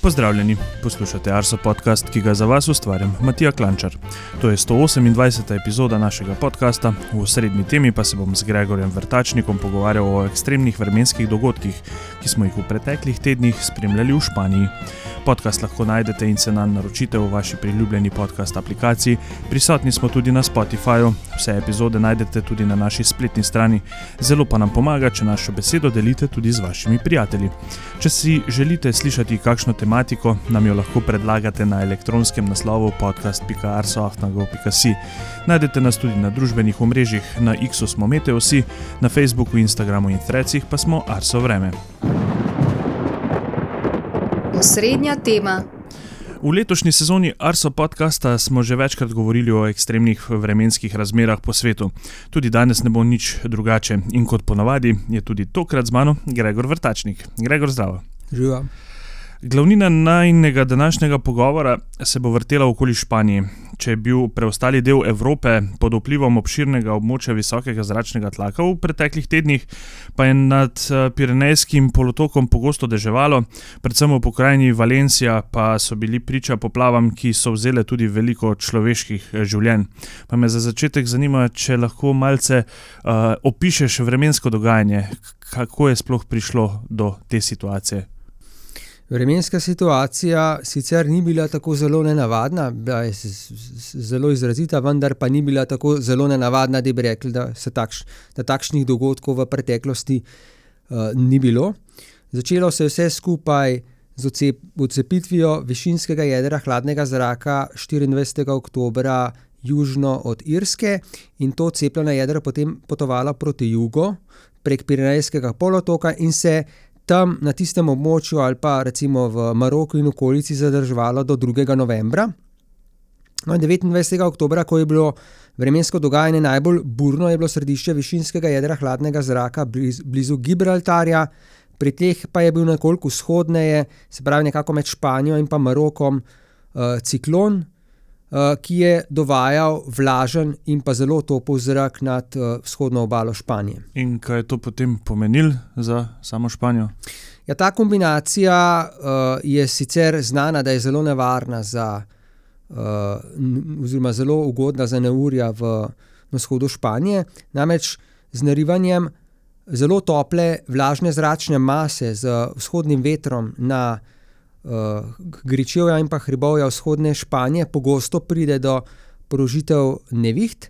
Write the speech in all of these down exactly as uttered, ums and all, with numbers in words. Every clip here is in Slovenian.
Pozdravljeni, poslušate Arso podcast, ki ga za vas ustvarjam Matija Klančar. To je sto osemindvajseta epizoda našega podcasta, v osrednji temi pa se bom z Gregorjem Vrtačnikom pogovarjal o ekstremnih vremenskih dogodkih, ki smo jih v preteklih tednih spremljali v Španiji. Podcast lahko najdete in se nanj naročite v vaši priljubljeni podcast aplikaciji, prisotni smo tudi na Spotifyju, vse epizode najdete tudi na naši spletni strani, zelo pa nam pomaga, če našo besedo delite tudi z vašimi prijatelji. Če si želite slišati kakšno tematiko, nam jo lahko predlagate na elektronskem naslovu podcast pika arso afna gov pika si. Najdete nas tudi na družbenih omrežjih, na X-u smo Meteosi, na Facebooku, Instagramu in Threadsih pa smo Arso vreme. Osrednja tema. V letošnji sezoni Arso podcasta smo že večkrat govorili o ekstremnih vremenskih razmerah po svetu. Tudi danes ne bo nič drugače in kot ponavadi je tudi tokrat z mano Gregor Vrtačnik. Gregor, zdravo. Živa. Glavnina najinega današnjega pogovora se bo vrtela okoli Španije. Če je bil preostali del Evrope pod vplivom obširnega območja visokega zračnega tlaka v preteklih tednih, pa je nad Pirenejskim polotokom pogosto deževalo, predvsem v pokrajini Valencia pa so bili priča poplavam, ki so vzele tudi veliko človeških življenj. Pa me za začetek zanima, če lahko malce uh, opišeš vremensko dogajanje, kako je sploh prišlo do te situacije. Vremenska situacija sicer ni bila tako zelo nenavadna, bila je zelo izrazita, vendar pa ni bila tako zelo nenavadna, da bi rekli, da, se takš, da takšnih dogodkov v preteklosti uh, ni bilo. Začelo se je vse skupaj z odsep, odcepitvijo višinskega jedra hladnega zraka štiriindvajsetega oktobra južno od Irske in to odcepljeno jedro potem potovalo proti jugu prek Pirenejskega polotoka in se tam na tistem območju ali pa recimo v Maroku in okolici zadrževalo do drugega novembra. No in devetindvajsetega oktobra, ko je bilo vremensko dogajanje najbolj burno, je bilo središče višinskega jedra hladnega zraka blizu, blizu Gibraltarja, pri teh pa je bil nekoliko vzhodneje, se pravi nekako med Španijo in pa Marokom, uh, ciklon, uh, ki je dovajal vlažen in pa zelo topel zrak nad uh, vzhodno obalo Španije. In kaj je to potem pomenilo za samo Španijo? Ja, ta kombinacija uh, je sicer znana, da je zelo nevarna za, uh, n- oziroma zelo ugodna za neurja v na vzhodu Španije, namreč z narivanjem zelo tople vlažne zračne mase z vzhodnim vetrom na Uh, Gričevja in pa hribovja vzhodne Španije pogosto pride do prožitev neviht.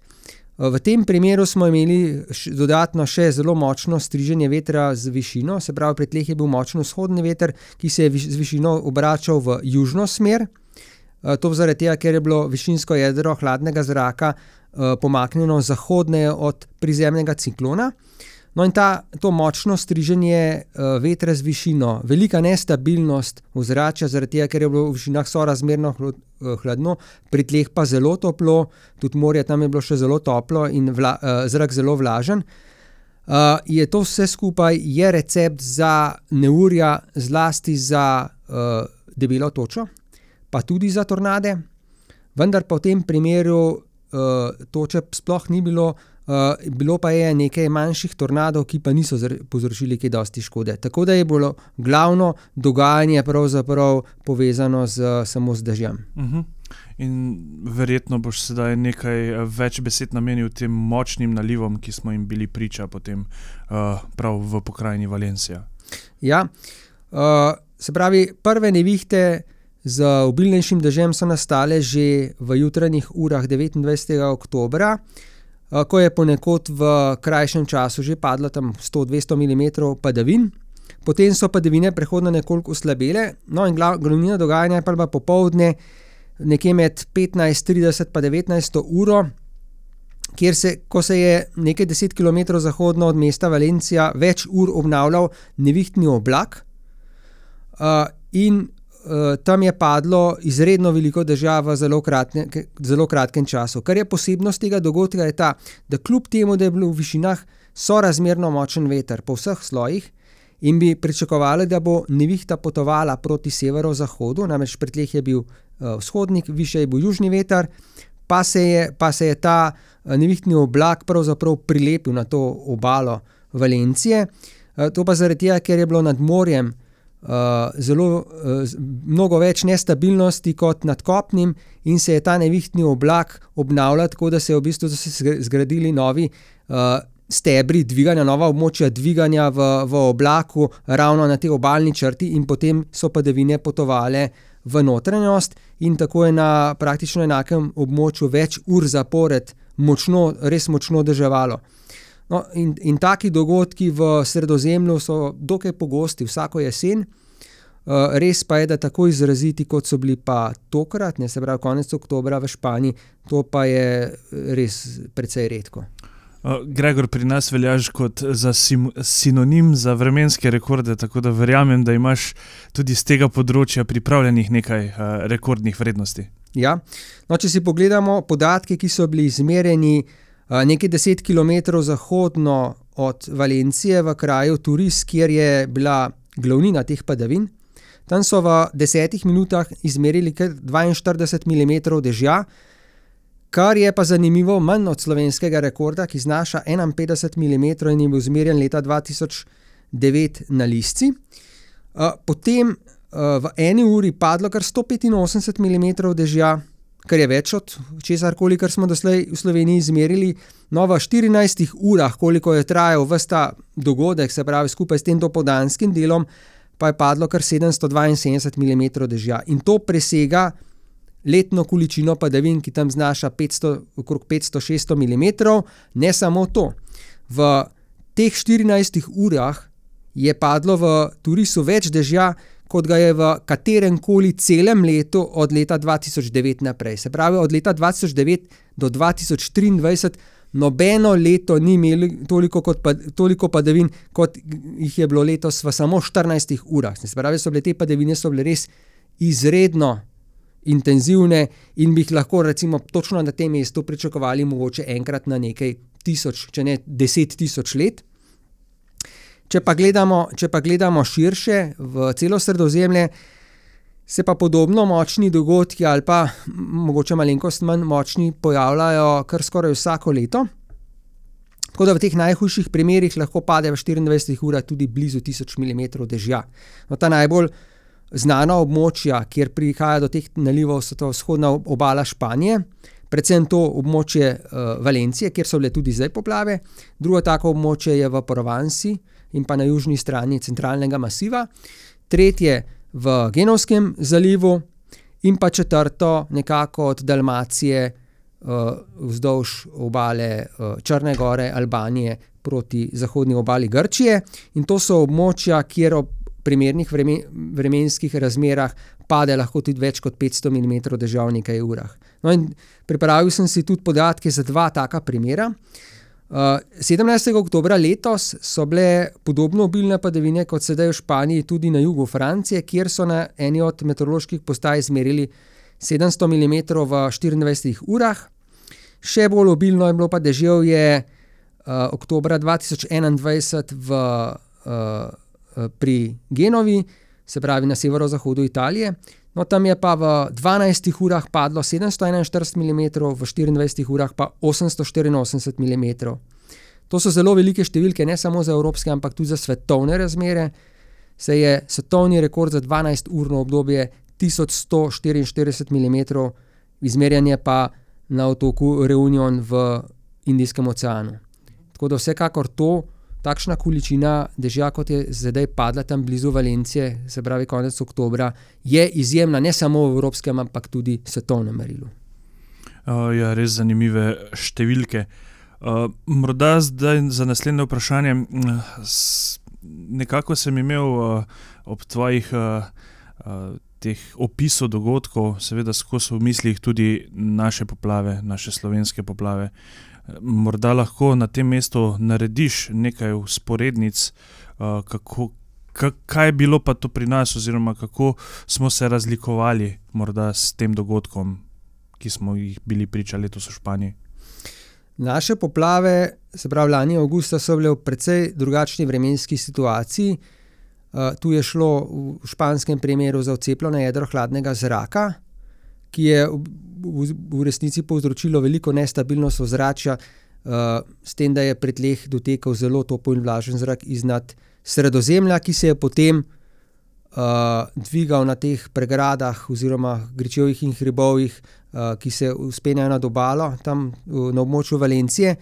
Uh, v tem primeru smo imeli š, dodatno še zelo močno striženje vetra z višino, se pravi pri tleh je bil močen vzhodni veter, ki se je viš, z višino obračal v južno smer. Uh, to zaradi tega, ker je bilo višinsko jedro hladnega zraka uh, pomaknjeno zahodneje od prizemnega ciklona. No in ta, to močno striženje uh, vetra z višino, velika nestabilnost ozračja, zaradi tega, ker je bilo v višinah sorazmerno hlad, uh, hladno, pri tleh pa zelo toplo, tudi morje tam je bilo še zelo toplo in vla, uh, zrak zelo vlažen, uh, je to vse skupaj je recept za neurja, zlasti za uh, debelo točo, pa tudi za tornade, vendar pa v tem primeru uh, toče sploh ni bilo. Uh, bilo pa je nekaj manjših tornadov, ki pa niso zr- povzročili kaj dosti škode. Tako da je bilo glavno dogajanje pravzaprav povezano z, samo z dežjem. Uh-huh. In verjetno boš sedaj nekaj več besed namenil tem močnim nalivom, ki smo jim bili priča potem uh, prav v pokrajini Valencia. Ja, uh, se pravi, prve nevihte z obilnejšim dežjem so nastale že v jutranjih urah devetindvajsetega oktobra, ko je ponekod v krajšem času že padlo tam sto do dvesto milimetrov padavin. Potem so padavine prehodno nekoliko oslabele, no in glav, glavnina dogajanja je pa popoldne nekje med petnajst trideset pa devetnajsto uro, kjer se, ko se je nekaj deset kilometrov zahodno od mesta Valencia več ur obnavljal nevihtni oblak uh, in Uh, tam je padlo izredno veliko dežja v zelo, kratne, zelo kratkem času. Kar je posebnost tega dogodka je ta, da kljub temu, da je bil v višinah sorazmerno močen veter po vseh slojih in bi pričakovali, da bo nevihta potovala proti severozahodu, namreč pri tleh je bil uh, vzhodnik, višje je bil južni veter, pa se je, pa se je ta uh, nevihtni oblak pravzaprav prilepil na to obalo Valencije. Uh, to pa zaradi tega, ker je bilo nad morjem uh, zelo, uh, mnogo več nestabilnosti kot nad kopnim in se je ta nevihtni oblak obnavljal, tako da se je v bistvu zgradili novi uh, stebri dviganja, nova območja dviganja v, v oblaku ravno na tej obalni črti in potem so padavine potovale v notranjost in tako je na praktično enakem območju več ur zapored močno, res močno deževalo. No, in, in taki dogodki v Sredozemlju so dokaj pogosti vsako jesen, uh, res pa je, da tako izraziti, kot so bili pa tokrat, ne, se pravi konec oktobra v Španiji, to pa je res precej redko. Gregor, pri nas veljaš kot za sim, sinonim za vremenske rekorde, tako da verjamem, da imaš tudi z tega področja pripravljenih nekaj uh, rekordnih vrednosti. Ja, no, če si pogledamo podatke, ki so bili izmerjeni uh, nekaj deset kilometrov zahodno od Valencije v kraju Turis, kjer je bila glavnina teh padavin, tam so v desetih minutah izmerili kar dvainštirideset milimetrov dežja, kar je pa zanimivo manj od slovenskega rekorda, ki znaša enainpetdeset milimetrov in je bil izmerjen leta dva tisoč devet na Lisci. Potem v eni uri padlo kar sto petinosemdeset milimetrov dežja, kar je več od česarkoli, kar smo doslej v Sloveniji izmerili. No, v štirinajstih urah, koliko je trajal ves ta dogodek, se pravi skupaj s tem dopoldanskim delom, pa je padlo kar sedemsto dvainsedemdeset milimetrov dežja. In to presega letno količino padavin, ki tam znaša petsto, okrog petsto do šeststo milimetrov. Ne samo to. V teh štirinajstih urah je padlo v Turisu več dežja, kot ga je v katerem koli celem letu od leta dva tisoč devet naprej. Se pravi, od leta dva tisoč devet do dva tisoč triindvajset nobeno leto ni imelo toliko, kot pa, toliko padavin, kot jih je bilo letos v samo štirinajstih urah. Se pravi, so bile te padavine so bile res izredno intenzivne in bi jih lahko recimo točno na tem mestu pričakovali mogoče enkrat na nekaj tisoč, če ne deset tisoč let. Če pa gledamo, če pa gledamo širše v celo Sredozemlje, se pa podobno močni dogodki ali pa mogoče malenkost manj močni pojavljajo kar skoraj vsako leto. Tako da v teh najhujših primerih lahko pade v štiriindvajsetih urah tudi blizu tisoč milimetrov dežja. No, ta najbolj znana območja, kjer prihaja do teh nalivov, so to vzhodna obala Španije, predvsem to območje uh, Valencije, kjer so bile tudi zdaj poplave. Drugo tako območje je v Provansi in pa na južni strani centralnega masiva. Tretje v Genovskem zalivu in pa četrto nekako od Dalmacije uh, vzdolž obale uh, Črne gore, Albanije proti zahodni obali Grčije. In to so območja, kjer ob primernih vremen, vremenskih razmerah pade lahko tudi več kot petsto milimetrov dežja v nekaj urah. No in pripravil sem si tudi podatke za dva taka primera. Uh, sedemnajstega oktobra letos so bile podobno obilne padavine kot sedaj v Španiji tudi na jugu Francije, kjer so na eni od meteoroloških postaj izmerili sedemsto milimetrov v štiriindvajsetih urah. Še bolj obilno je bilo pa deževje uh, oktobra dva tisoč enaindvajset v uh, pri Genovi, se pravi na severozahodu Italije. No, tam je pa v dvanajstih urah padlo sedemsto enainštirideset milimetrov, v štiriindvajsetih urah pa osemsto štiriinosemdeset milimetrov. To so zelo velike številke, ne samo za evropske, ampak tudi za svetovne razmere. Se je svetovni rekord za dvanajsturno obdobje tisoč sto štiriinštirideset milimetrov, izmerjanje pa na otoku Reunion v Indijskem oceanu. Tako da vsekakor to, takšna količina dežja, kot je zdaj padla tam blizu Valencije, se pravi konec oktobra, je izjemna ne samo v evropskem, ampak tudi svetovnem merilu. Uh, ja, res zanimive številke. Uh, morda zdaj za naslednje vprašanje. S, nekako sem imel uh, ob tvojih uh, uh, teh opisov dogodkov, seveda skozi v mislih tudi naše poplave, naše slovenske poplave. Morda lahko na tem mestu narediš nekaj vzporednic, uh, kako, kaj je bilo pa to pri nas oziroma kako smo se razlikovali morda s tem dogodkom, ki smo jih bili priča letos v Španiji. Naše poplave, se pravi lani avgusta, so bile v precej drugačni vremenski situaciji. Uh, tu je šlo v španskem primeru za odcepljeno jedro hladnega zraka, ki je v, v resnici povzročilo veliko nestabilnost ozračja, uh, s tem, da je pri tleh dotekal zelo topel in vlažen zrak iznad Sredozemlja, ki se je potem uh, dvigal na teh pregradah oziroma gričevjih in hribovjih, uh, ki se vzpenjajo nad obalo, tam uh, na območju Valencije.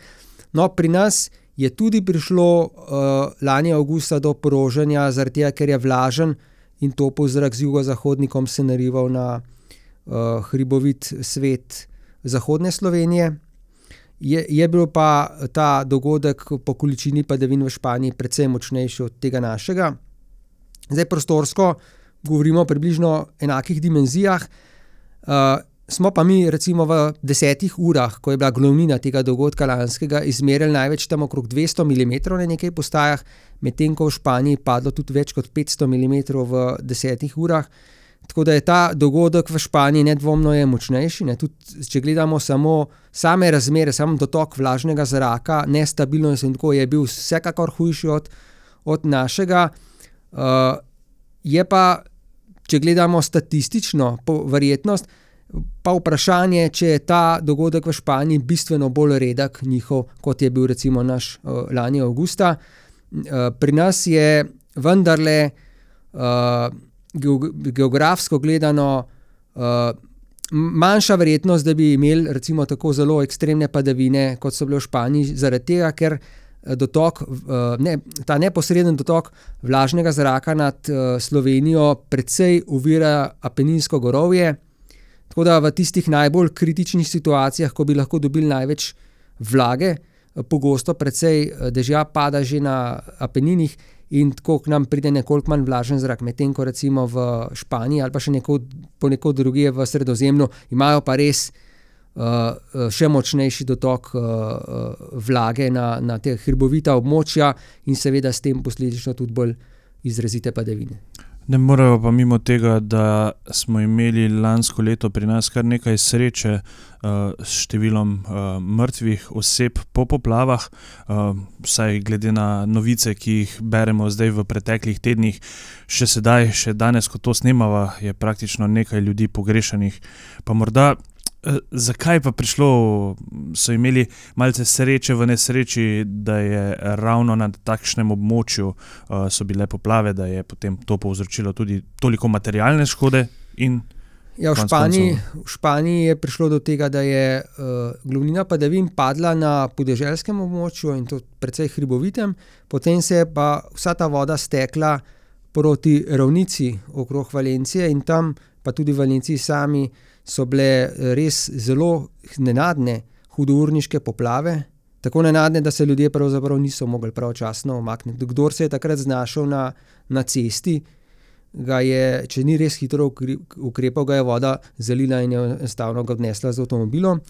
No, pri nas je tudi prišlo uh, lani avgusta do porožanja, zaradi tega, ker je vlažen in topel zrak z jugozahodnikom se narival na uh, hribovit svet zahodne Slovenije. Je, je bil pa ta dogodek po količini padavin v Španiji precej močnejši od tega našega. Zdaj prostorsko govorimo o približno enakih dimenzijah. Uh, smo pa mi recimo v desetih urah, ko je bila glavnina tega dogodka lanskega, izmerili največ tam okrog dvesto milimetrov na nekaj postajah, medtem ko v Španiji padlo tudi več kot petsto milimetrov v desetih urah. Tako da je ta dogodek v Španiji nedvomno je močnejši. Ne? Tudi, če gledamo samo same razmere, samo dotok vlažnega zraka, nestabilnost in tako, je bil vsekakor hujši od, od našega. Uh, je pa, če gledamo statistično verjetnost, pa vprašanje, če je ta dogodek v Španiji bistveno bolj redek njihov, kot je bil recimo naš uh, lani avgusta. Uh, pri nas je vendarle uh, geografsko gledano uh, manjša verjetnost, da bi imeli recimo tako zelo ekstremne padavine, kot so bile v Španiji, zaradi tega, ker dotok, uh, ne, ta neposreden dotok vlažnega zraka nad uh, Slovenijo precej ovira Apeninsko gorovje, tako da v tistih najbolj kritičnih situacijah, ko bi lahko dobili največ vlage, pogosto precej dežja pada že na Apeninih, in tako k nam pride nekoliko manj vlažen zrak, medtem ko recimo v Španiji ali pa še nekod, ponekod drugje v Sredozemlju imajo pa res uh, še močnejši dotok uh, vlage na, na te hribovita območja in seveda s tem posledično tudi bolj izrazite padavine. Ne morejo pa mimo tega, da smo imeli lansko leto pri nas kar nekaj sreče uh, s številom uh, mrtvih oseb po poplavah, uh, vsaj glede na novice, ki jih beremo zdaj v preteklih tednih, še sedaj, še danes, ko to snemava, je praktično nekaj ljudi pogrešanih. Pa morda, uh, zakaj pa prišlo, so imeli malce sreče v nesreči, da je ravno na takšnem območju uh, so bile poplave, da je potem to povzročilo tudi toliko materialne škode in Ja, v Španiji, v Španiji je prišlo do tega, da je uh, glavnina padavin padla na podeželskem območju in to precej hribovitem, potem se je pa vsa ta voda stekla proti ravnici okrog Valencije in tam pa tudi v Valenciji sami so bile res zelo nenadne hudourniške poplave, tako nenadne, da se ljudje pravzaprav niso mogli pravočasno umakniti. Kdor se je takrat znašel na, na cesti, ga je, če ni res hitro ukrepal, ga je voda zalila in je enostavno ga odnesla z avtomobilom.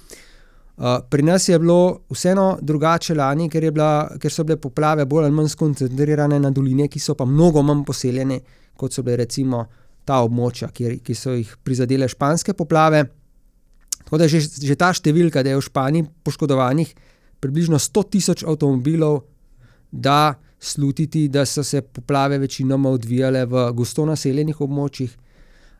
Uh, pri nas je bilo vseeno drugače lani, ker, je bila, ker so bile poplave bolj ali manj skoncentrirane na doline, ki so pa mnogo manj poseljene, kot so bile recimo ta območja, kjer, ki so jih prizadele španske poplave. Tako da že, že ta številka, da je v Španiji poškodovanih približno sto tisoč avtomobilov, da slutiti, da so se poplave večinoma odvijale v gosto naseljenih območjih.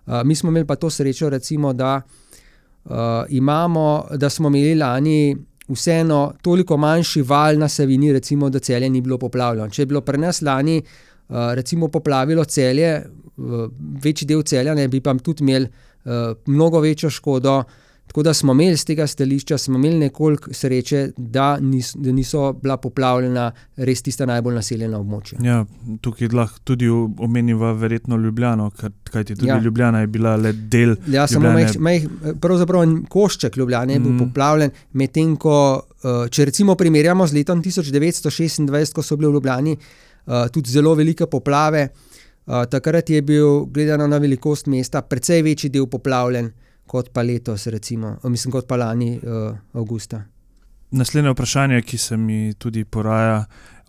Uh, mi smo imeli pa to srečo, recimo, da, uh, imamo, da smo imeli lani vseeno toliko manjši val na Savinji, recimo, da Celje ni bilo poplavljeno. Če je bilo pri nas lani uh, recimo poplavilo Celje, uh, večji del Celja, ne bi pa tudi imeli uh, mnogo večjo škodo. Tako da smo imeli z tega stališča, smo imeli nekoliko sreče, da, nis, da niso bila poplavljena res tista najbolj naseljena območja. Ja, tukaj lahko tudi omeniva verjetno Ljubljano, kajti tudi ja. Ljubljana je bila le del ja, samo Ljubljane. Mej, mej, pravzaprav košček Ljubljane je bil mm. poplavljen, medtem ko, če recimo primerjamo z letom tisoč devetsto šestindvajset, ko so bile v Ljubljani tudi zelo velike poplave, takrat je bil, gledano na velikost mesta, precej večji del poplavljen, kot pa letos, recimo, mislim, kot pa lani uh, avgusta. Naslednje vprašanje, ki se mi tudi poraja,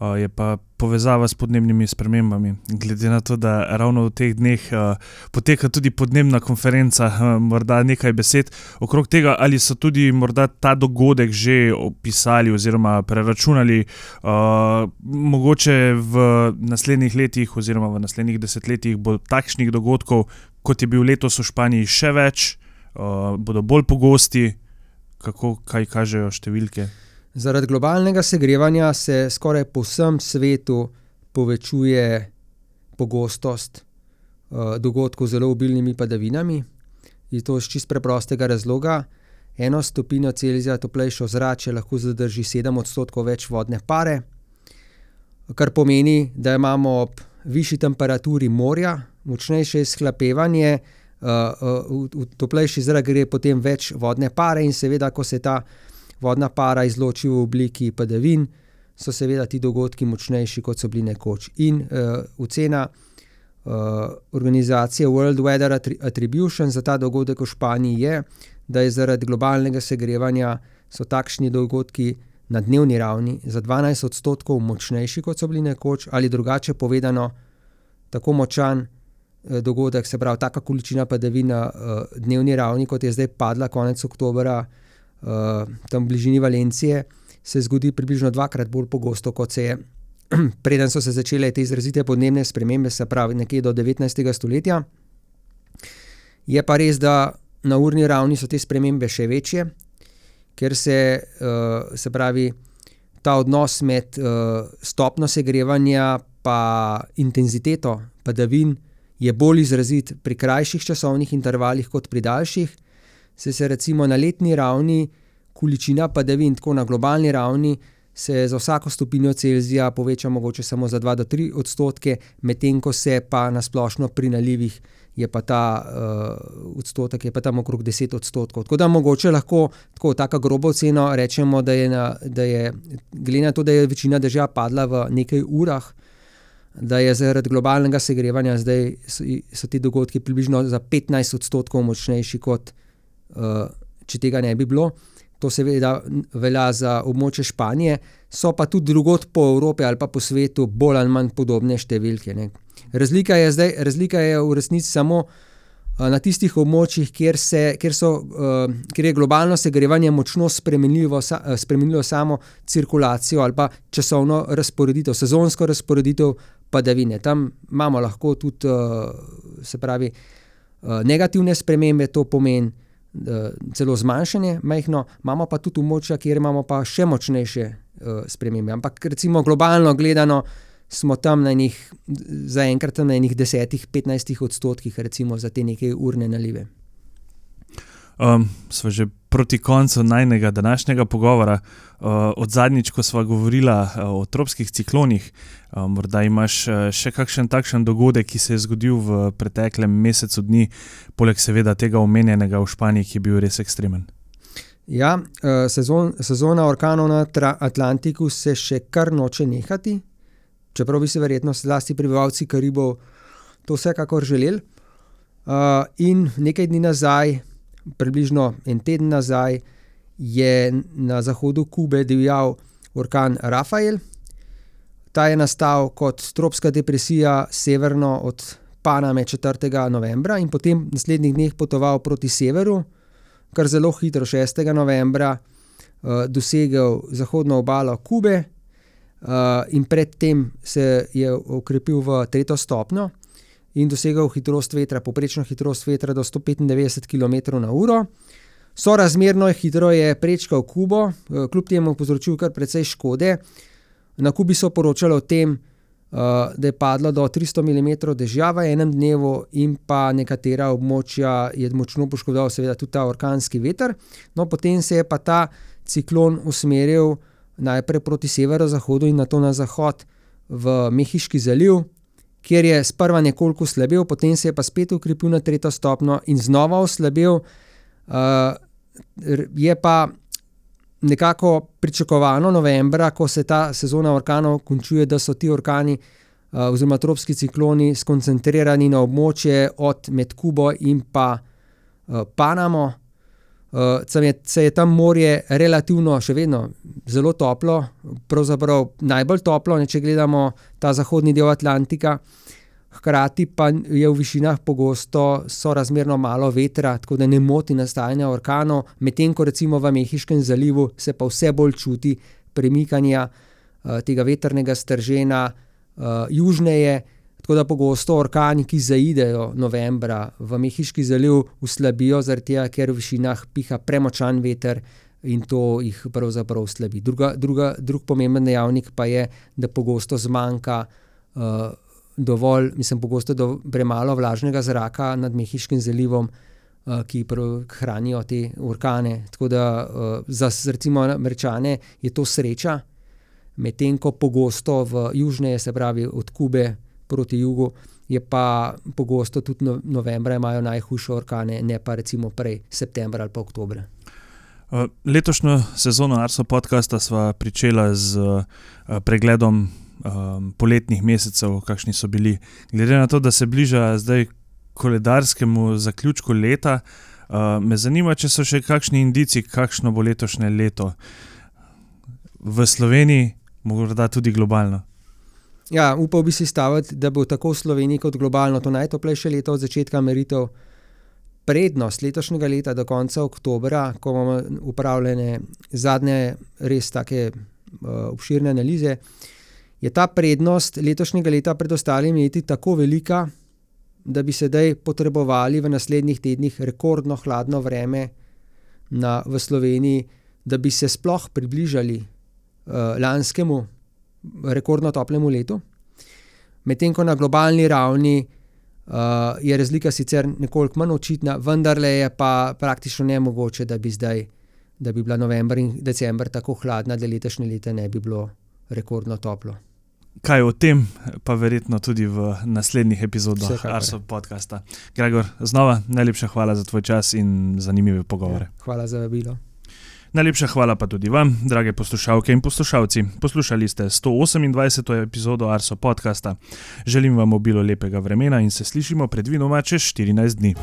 uh, je pa povezava s podnebnimi spremembami. Glede na to, da ravno v teh dneh uh, poteka tudi podnebna konferenca, uh, morda nekaj besed okrog tega, ali so tudi morda ta dogodek že opisali oziroma preračunali, uh, mogoče v naslednjih letih oziroma v naslednjih desetletjih bo takšnih dogodkov, kot je bil letos v Španiji, še več, Uh, bodo bolj pogosti, kako, kaj kažejo številke? Zaradi globalnega segrevanja se skoraj po vsem svetu povečuje pogostost uh, dogodkov z zelo obilnimi padavinami. In to iz čist preprostega razloga. Eno stopinjo Celzija toplejše ozračje lahko zadrži sedem odstotkov več vodne pare, kar pomeni, da imamo ob višji temperaturi morja močnejše izhlapevanje, uh, uh, v, v toplejši zrak gre potem več vodne pare in seveda, ko se ta vodna para izloči v obliki padavin, so seveda ti dogodki močnejši, kot so bili nekoč. In uh, ocena uh, organizacije World Weather Attribution za ta dogodek v Španiji je, da je zaradi globalnega segrevanja so takšni dogodki na dnevni ravni za dvanajst odstotkov močnejši, kot so bili nekoč, ali drugače povedano, tako močan eh, dogodek, se pravi, taka količina padavin na eh, dnevni ravni, kot je zdaj padla konec oktobra eh, tam v bližini Valencije, se zgodi približno dvakrat bolj pogosto, kot se je, preden so se začele te izrazite podnebne spremembe, se pravi nekje do devetnajstega stoletja. Je pa res, da na urni ravni so te spremembe še večje, ker se, uh, se pravi, ta odnos med uh, stopno segrevanja pa intenziteto padavin je bolj izrazit pri krajših časovnih intervalih kot pri daljših. Se se recimo na letni ravni količina padavin, tako na globalni ravni, se za vsako stopinjo Celzija poveča mogoče samo za dva do tri odstotke, medtem ko se pa na splošno pri nalivih je pa ta uh, odstotek je pa tam okrog deset odstotkov. Tako da mogoče lahko tako taka grobo oceno rečemo, da je, na, da je glede na to, da je večina dežja padla v nekaj urah, da je zaradi globalnega segrevanja zdaj so, so ti dogodki približno za petnajst odstotkov močnejši, kot uh, če tega ne bi bilo. To seveda velja za območje Španije, so pa tudi drugod po Evropi ali pa po svetu bolj ali manj podobne številke, ne. Razlika je zdaj, razlika je v resnici samo uh, na tistih območjih, kjer se, kjer so, uh, kjer je globalno segrevanje močno spremenljivo, sa, uh, spremenilo samo cirkulacijo ali pa časovno razporeditev, sezonsko razporeditev padavine. Tam imamo lahko tudi, uh, se pravi, uh, negativne spremembe, to pomeni uh, celo zmanjšanje majhno, imamo pa tudi območja, kjer imamo pa še močnejše uh, spremembe. Ampak recimo globalno gledano smo tam na enih, zaenkrat na enih desetih, petnajstih odstotkih recimo za te neke urne nalive. Um, sva že proti koncu najnega današnjega pogovora. Uh, od zadnjič, ko sva govorila uh, o tropskih ciklonih, uh, morda imaš uh, še kakšen takšen dogodek, ki se je zgodil v preteklem mesecu dni, poleg seveda tega omenjenega v Španiji, ki je bil res ekstremen. Ja, uh, sezon, sezona orkanov na tra- Atlantiku se še kar noče nehati, čeprav bi se verjetno zlasti prebivalci Karibov to vsekakor želeli. Uh, in nekaj dni nazaj, približno en teden nazaj, je na zahodu Kube divjal orkan Rafael. Ta je nastal kot tropska depresija severno od Paname četrtega novembra in potem v naslednjih dneh potoval proti severu, kar zelo hitro šestega novembra uh, dosegel zahodno obalo Kube. Uh, in predtem se je okrepil v tretjo stopnjo in dosegel hitrost vetra, povprečno hitrost vetra do sto petindevetdeset kilometrov na uro. Sorazmerno hitro je prečkal Kubo, uh, kljub temu povzročil kar precej škode. Na Kubi so poročali o tem, uh, da je padlo do tristo milimetrov dežja v enem dnevu in pa nekatera območja je močno poškodoval seveda tudi ta orkanski veter. No, potem se je pa ta ciklon usmeril najprej proti severozahodu in nato na zahod v Mehiški zaliv, kjer je sprva nekoliko slabel, potem se je pa spet ukrepil na tretjo stopnjo in znova oslabel. Uh, je pa nekako pričakovano novembra, ko se ta sezona orkanov končuje, da so ti orkani uh, oziroma tropski cikloni skoncentrirani na območje od med Kubo in pa uh, Panamo. Uh, je, se je tam morje relativno še vedno zelo toplo, pravzaprav najbolj toplo, ne, če gledamo ta zahodni del Atlantika, hkrati pa je v višinah pogosto sorazmerno malo vetra, tako da ne moti nastajanja orkanov, medtem ko recimo v Mehiškem zalivu se pa vse bolj čuti premikanja uh, tega vetrnega stržena uh, južneje. Tako da pogosto orkani, ki zaidejo novembra v Mehiški zaliv, uslabijo zaradi tega, ker v višinah piha premočan veter in to jih pravzaprav slabi. Druga, druga, drug pomemben dejavnik pa je, da pogosto zmanjka uh, dovolj, mislim, pogosto do, premalo vlažnega zraka nad Mehiškim zalivom, uh, ki pr- hranijo te orkane. Tako da uh, za recimo Američane je to sreča, medtem ko pogosto v južneje, se pravi od Kube proti jugu, je pa pogosto tudi no, novembra imajo najhujše orkane, ne pa recimo prej septembra ali pa oktobra. Uh, letošnjo sezono Arso podcasta sva pričela z uh, pregledom um, poletnih mesecev, kakšni so bili. Glede na to, da se bliža zdaj koledarskemu zaključku leta, uh, me zanima, če so še kakšni indici, kakšno bo letošnje leto v Sloveniji, morda tudi globalno. Ja, upal bi si staviti, da bo tako v Sloveniji kot globalno to najtoplejše leto od začetka meritev. Prednost letošnjega leta do konca oktobra, ko bomo upravljene zadnje res take uh, obširne analize, je ta prednost letošnjega leta pred ostalimi leti tako velika, da bi sedaj potrebovali v naslednjih tednih rekordno hladno vreme na, v Sloveniji, da bi se sploh približali uh, lanskemu rekordno toplemu letu. Medtem ko na globalni ravni uh, je razlika sicer nekoliko manj očitna, vendarle je pa praktično nemogoče, da bi zdaj, da bi bila november in december tako hladna, da letošnje leto ne bi bilo rekordno toplo. Kaj o tem, pa verjetno tudi v naslednjih epizodah Vsekakor. Arso podcasta. Gregor, znova najlepša hvala za tvoj čas in zanimive pogovore. Ja, hvala za vabilo. Najlepša hvala pa tudi vam, drage poslušalke in poslušalci. Poslušali ste sto osemindvajseto epizodo Arso podcasta. Želim vam obilo lepega vremena in se slišimo predvidoma čez štirinajst dni.